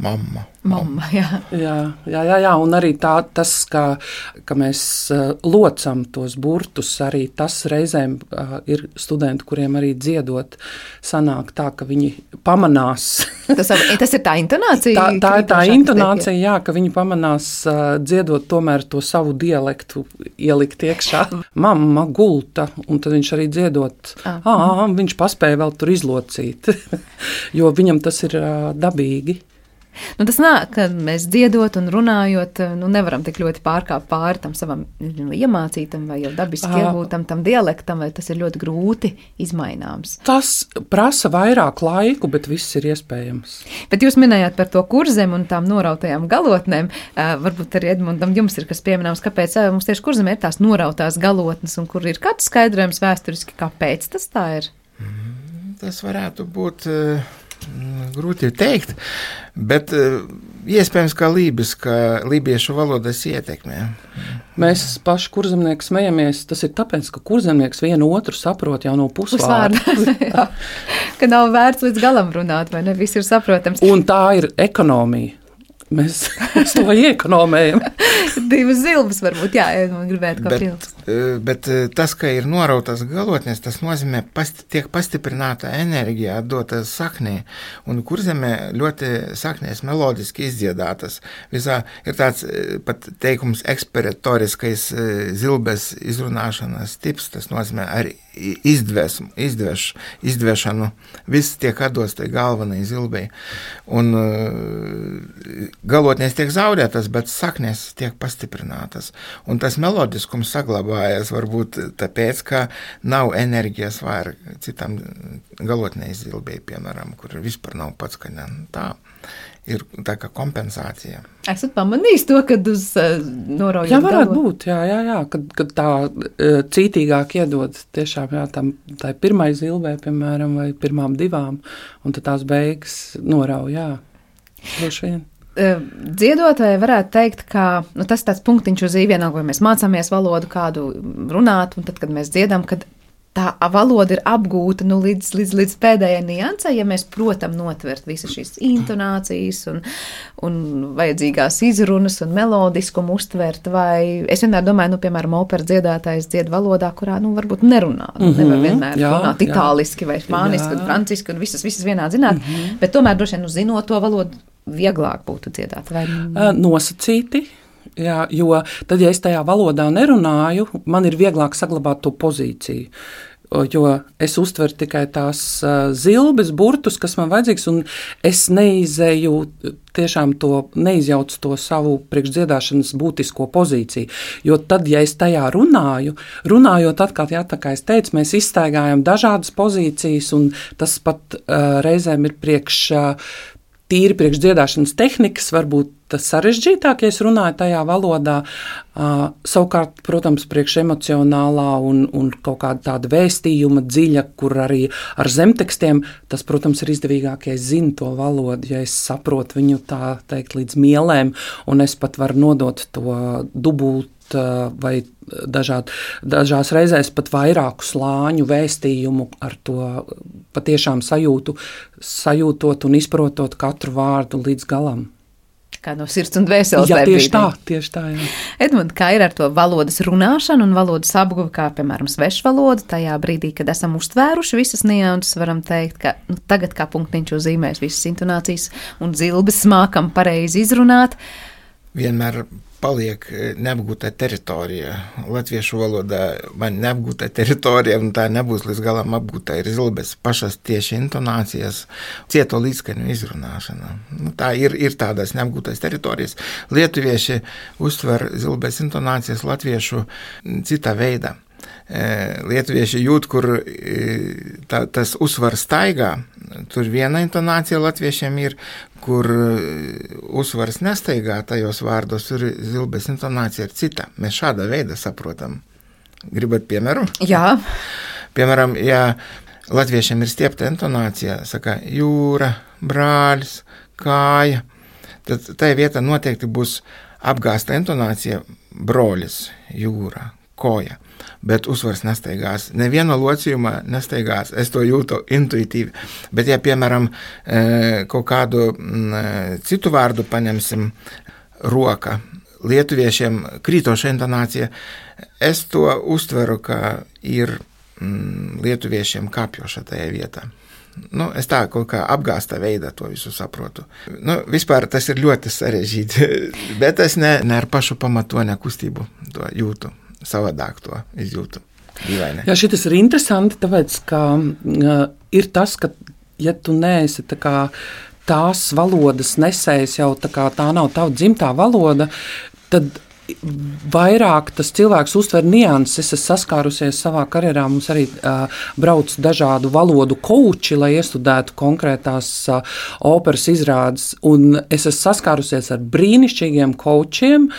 Mamma. Mamma, jā. Jā, jā, jā, jā, un arī tā, tas, ka, ka mēs uh, locam tos burtus, arī tas reizēm uh, ir studenti, kuriem arī dziedot sanāk tā, ka viņi pamanās. tas, tas ir tā intonācija? Tā, tā ir tā intonācija, jā, ka viņi pamanās uh, dziedot tomēr to savu dialektu ielikt iekšā. Mamma gulta, un tad viņš arī dziedot, ah, ā, viņš paspēja vēl tur izlocīt, jo viņam tas ir uh, dabīgi. Nu, tas nāk, ka mēs dziedot un runājot, nu, nevaram tik ļoti pārkāpt pāri tam savam iemācītam vai jau dabiski iegūtam tam dialektam, vai tas ir ļoti grūti izmaināms. Tas prasa vairāk laiku, bet viss ir iespējams. Bet jūs minējāt par to kurzem un tām norautajām galotnēm. Varbūt arī Edmundam jums ir kas pieminams, kāpēc mums tieši kurzem ir tās norautās galotnes un kur ir kāds skaidrojums vēsturiski, kāpēc tas tā ir? Tas varētu būt... Grūti teikt, bet iespējams, ka lībiska, lībiešu valodas ietekmē. Mēs paši kurzemnieki smejamies, tas ir tāpēc, ka kurzemnieks vienu otru saprot jau no pusvārda. Pusvārda, ka nav vērts līdz galam runāt, vai ne, viss ir saprotams. Un tā ir ekonomija. Mēs, mēs to iekonomējam. Divas zilbas varbūt, jā, man gribētu kā pildus. Bet tas, ka ir norautas galotnes, tas nozīmē, pasti, tiek pastiprināta enerģija atdota saknē, un kurzemē ļoti saknēs melodiski izdziedātas. Visā ir tāds pat teikums ekspiratoriskais zilbes izrunāšanas tips, tas nozīmē arī izdvesmu, izdveš, izdvešanu, viss tiek atdots tai galvenai zilbei. Un galotnēs tiek zaudētas, bet saknēs tiek pastiprinātas. Un tas melodiskums saglabājas varbūt tāpēc, ka nav enerģijas vairāk citam galotnei zilbei, piemēram, kur vispār nav pats, ka ne, tā ir tā kā kompensācija. Esat pamanījis to, kad uz uh, noraujot Jā, varētu galot? būt, jā, jā, jā, kad, kad tā uh, cītīgāk iedod tiešām, jā, tam, tā ir pirmai zilbē, piemēram, vai pirmām divām, un tad tās beigas norauj, jā, droši vien. Dziedotāji varētu teikt, ka nu, tas tāds punktiņš uz īvienā, vai mēs mācāmies valodu kādu runāt, un tad, kad mēs dziedam, kad tā valoda ir apgūta nu, līdz, līdz, līdz pēdējai niansai, ja mēs, protam, notvert visas šīs intonācijas un, un vajadzīgās izrunas un melodiskumu uztvert, vai es vienmēr domāju, nu, piemēram, opera dziedātājs dzied valodā, kurā, nu, varbūt nerunā, mm-hmm, nevar vienmēr jā, runāt itāliski vai spāniski un franciski un visas, visas vienā zināt, mm-hmm. bet tomēr droši vien, nu, zinot to valodu, vieglāk būtu dziedāt, vai? Nosacīti. Jā, jo tad, ja es tajā valodā nerunāju, man ir vieglāk saglabāt to pozīciju, jo es uztveru tikai tās zilbes, burtus, kas man vajadzīgs, un es neizēju tiešām to, neizjaucu to savu priekšdziedāšanas būtisko pozīciju, jo tad, ja es tajā runāju, runājot atkal, jā, tā kā es teicu, mēs izstaigājam dažādas pozīcijas, un tas pat uh, reizēm ir priekš uh, tīri priekšdziedāšanas tehnikas, varbūt sarežģītāk, ja es runāju tajā valodā. Uh, savukārt, protams, priekš emocionālā un, un kaut kāda tāda vēstījuma dziļa, kur arī ar zemtekstiem, tas, protams, ir izdevīgāk, ja es zinu to valodu, ja es saprotu viņu tā teikt līdz mielēm, un es pat varu nodot to dubult vai dažād, dažās reizēs pat vairāku slāņu vēstījumu ar to patiešām sajūtu, sajūtot un izprotot katru vārdu līdz galam. Kā no sirds un dvēseles. Jā, tieši tā, tieši tā, jā. Edmund, kā ir ar to valodas runāšanu un valodas apguvi, kā, piemēram, svešvaloda, tajā brīdī, kad esam uztvēruši visas nianses, varam teikt, ka nu, tagad kā punktiņš uzzīmēs visas intonācijas un zilbes mākam pareizi izrunāt. Vienmēr paliek neapgūtā teritorija. Latviešu valodā man neapgūtā teritorija, un tā nebūs līdz galam apgūtā ir zilbes pašas tieši intonācijas, cieto līdzskaņu izrunāšana. Nu, tā ir, ir tādas neapgūtās teritorijas. Lietuvieši uztver zilbes intonācijas latviešu citā veidā. Lietuvieši jūt, kur tā, tas uzsvars staigā, tur viena intonācija latviešiem ir, kur uzsvars nestaigā tajos vārdos, tur zilbes intonācija ir cita. Mēs šādā veidā saprotam. Gribat piemēru? Jā. Piemēram, ja latviešiem ir stiepta intonācija, saka jūra, brāļs, kāja, tad tai vietā noteikti būs apgāsta intonācija broļis, jūra, koja. Bet uzsvars nestaigās. Neviena locījuma nestaigās. Es to jūtu intuitīvi. Bet, ja, piemēram, kaut kādu citu vārdu paņemsim, roka, lietuviešiem krītoša intonācija, es to uztveru, ka ir lietuviešiem kāpjoša tajā vietā. Nu, es tā kaut kā apgāsta veidā to visu saprotu. Nu, vispār tas ir ļoti sarežģīti, bet es ne, ne ar pašu pamatoņa kustību to jūtu. Savādāk to izjūtu. Dīvaini. Jā, šitas ir interesanti, tāpēc, ka uh, ir tas, ka, ja tu neesi tā kā tās valodas nesējs, jau tā kā tā nav tava dzimtā valoda, tad vairāk tas cilvēks uztver nianses. Es esmu saskārusies savā karjerā, mums arī uh, brauc dažādu valodu kouči, lai iestudētu konkrētās uh, operas izrādes, un es esmu saskārusies ar brīnišķīgiem koučiem,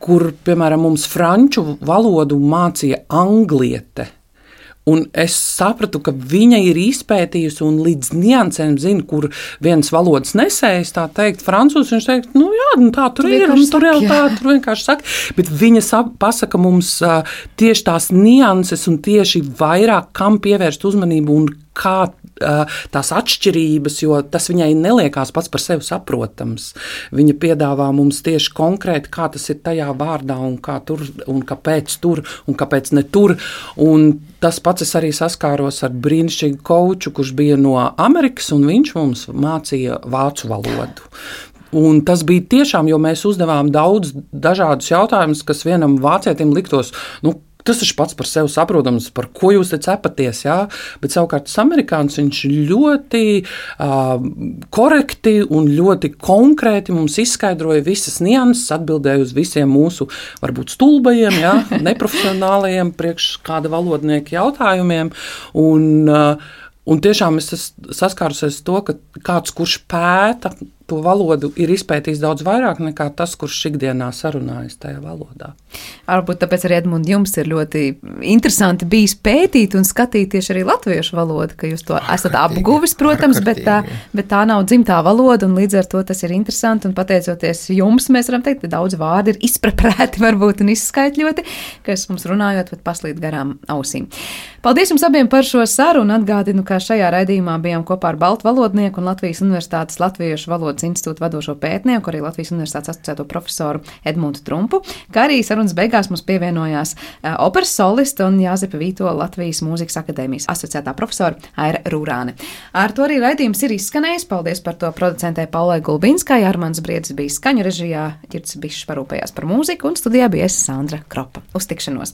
kur, piemēram, mums franču valodu mācīja angliete. Un es sapratu, ka viņa ir izpētījusi un līdz niansēm zina, kur viens valodas nesējs, tā teikt, francūs, viņš teikt, nu jā, nu tā tur ir, un tur jau tā, tur vienkārši saka, bet viņa sap, pasaka mums uh, tieši tās nianses un tieši vairāk, kam pievērst uzmanību un kā uh, tās atšķirības, jo tas viņai neliekās pats par sevi saprotams. Viņa piedāvā mums tieši konkrēti, kā tas ir tajā vārdā un kā tur, un kāpēc tur, un kāpēc ne tur. Un tas pats es arī saskāros ar brīnišķīgu kouču, kurš bija no Amerikas, un viņš mums mācīja vācu valodu. Un tas bija tiešām, jo mēs uzdevām daudz dažādus jautājumus, kas vienam vācietim liktos, nu, tas ir pats par sevi saprotams, par ko jūs te cepaties, jā, bet savukārt tas amerikāns, viņš ļoti uh, korekti un ļoti konkrēti mums izskaidroja visas nianses, atbildēja uz visiem mūsu, varbūt stulbajiem, jā, neprofesionālajiem priekš kāda valodnieka jautājumiem, un, uh, un tiešām es esmu saskārusies to, ka kāds, kurš pēta to valodu, ir izpētījis daudz vairāk nekā tas, kurš ikdienā sarunājas tajā valodā. Varbūt tāpēc arī, Edmund, jums ir ļoti interesanti bijis pētīt un skatīt tieši arī latviešu valodu, ka jūs to esat apguvis, protams, bet tā, bet tā nav dzimtā valoda, un līdz ar to tas ir interesanti, un pateicoties jums, mēs varam teikt, ka daudz vārdi ir izpreprēti varbūt un izskaitļoti, kas mums runājot, pat paslīd garām ausīm. Paldies jums abiem par šo sarunu, atgādinu, ka šajā raidījumā bijām kopā ar baltu valodnieku un Latvijas Universitātes Latviešu valodas institūta vadošo pētnieku, arī Latvijas Universitātes asociēto profesoru Edmundu Trumpu, kā arī sarunas beigās mums pievienojās uh, operas solista un Jāzepa Vīto Latvijas Mūzikas akadēmijas asociētā profesora Aira Rūrāne. Ar to arī raidījums ir izskanējis. Paldies par to producentē Paulai Gulbinskai, Armands Briedis bija skaņu režijā, Ģirds Bišs parūpējās par mūziku un studijā bija es Sandra Kropa. Uz tikšanos!